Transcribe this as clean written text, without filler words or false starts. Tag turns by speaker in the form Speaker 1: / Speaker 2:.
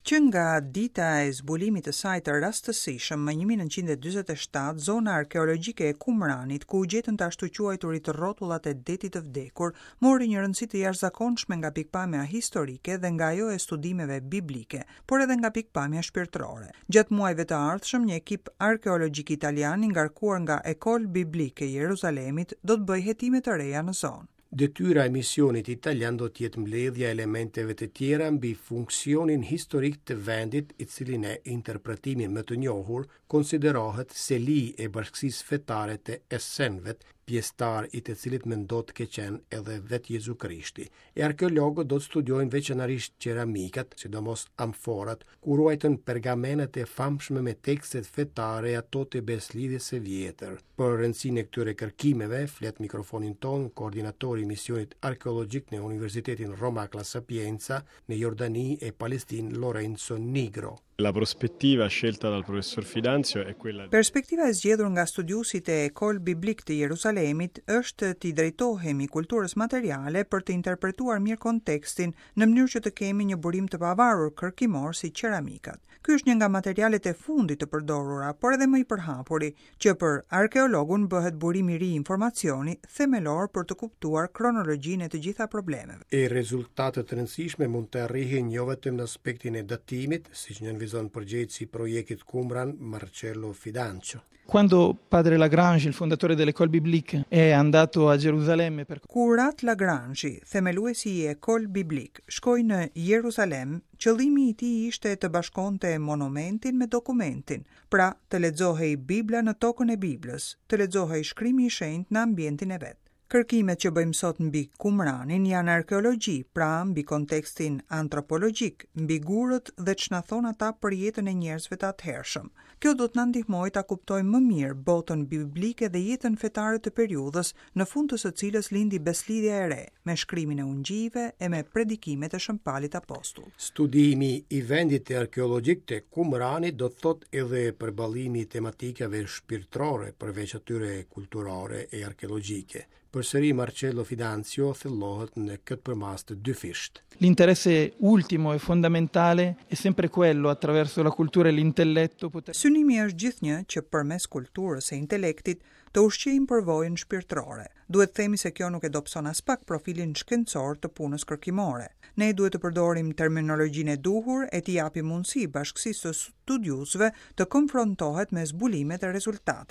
Speaker 1: Që nga dita e zbulimit të saj të rastësishëm më 1947, zona arkeologjike e Kumranit, ku u gjetën të ashtuquajturit rrotullat e Detit të Vdekur, mori një rëndësi të jashtëzakonshme nga pikëpamja historike dhe nga ajo e studimeve biblike, por edhe nga pikëpamja shpirtërore. Gjatë muajve të ardhshëm, një ekip arkeologjik italian i ngarkuar nga École Biblique e Jeruzalemit do të bëjë hetime të reja në zonë.
Speaker 2: Detyra e misionit italian do të jetë mbledhja e elementeve të tjera mbi funksionin historik të vendit, i cili në interpretimin më të njohur konsiderohet seli e bashkësisë fetare të Esenëve, pjesëtar i të cilit mendohet të ketë qenë edhe vetë Jezu Krishti. E arkeologët do të studiojnë veçanërisht qeramikat, sidomos amforat, ku ruajtën pergamenet e famshme me tekstet fetare e ato të besëlidhjes së vjetër. Për rëndësinë e këtyre kërkimeve, flet në mikrofonin tonë koordinatori i misionit arkeologjik në Universitetin Romak La Sapienza në Jordani e Palestinë Lorenzo Nigro.
Speaker 3: La prospettiva scelta dal professor Fidanzio è quella
Speaker 1: Perspektiva e zgjedhur nga studiuesit e École Biblique të Jeruzalemit është t'i drejtohemi kulturës materiale për të interpretuar mirë kontekstin në mënyrë që të kemi një burim të pavarur kërkimor si qeramikat. Ky është një nga materialet e fundit të përdorura, por edhe më i përhapuri, që për arkeologun bëhet burim i ri informacioni themelor për të kuptuar kronologjinë e të gjitha problemeve.
Speaker 2: E rezultate të rëndësishme mund të arrihen jo vetëm në aspektin e datimit, siç nënvizon përgjegjësi i projektit Qumran, Marcello Fidancio.
Speaker 4: Quando padre Lagrange, il fondatore dell'École Biblique, è andato a Gerusalemme per
Speaker 1: Kur At Lagrange, themeluesi i École Biblique, shkoi në Jeruzalem, qëllimi i tij ishte të bashkonte monumentin me dokumentin, pra të lexohej Bibla në tokën e Biblës, të lexohej shkrimi i shenjtë në ambientin e vet. Kërkimet që bëjmë sot mbi Kumranin janë arkeologji, pra mbi kontekstin antropologjik, mbi gurët dhe ç'na thonë ata për jetën e njerëzve të atëhershëm. Kjo do të na ndihmojë ta kuptojmë më mirë botën biblike dhe jetën fetare të periudhës, në fund të së cilës lindi Besëlidhja e Re, me shkrimin e ungjijve e me predikimet e Shën Palit Apostull.
Speaker 2: Studimi i vendit arkeologjik të Kumranit do të thotë edhe përballimi i tematikave shpirtërore përveç atyre kulturore e arkeologjike. Përsëri Marcello Fidanzio thellohet në këtë përmasë të dyfishtë.
Speaker 4: L'interesse ultimo e fondamentale è sempre quello attraverso la cultura e l'intelletto poter
Speaker 1: Synimi është gjithnjë që përmes kulturës e intelektit të ushqejmë përvojën shpirtërore. Duhet të themi se kjo nuk e dobëson aspak profilin shkencor të punës kërkimore. Ne duhet të përdorim terminologjinë e duhur e t'i japim mundësi bashkësisë së studiuesve të konfrontohet me zbulimet e rezultatet.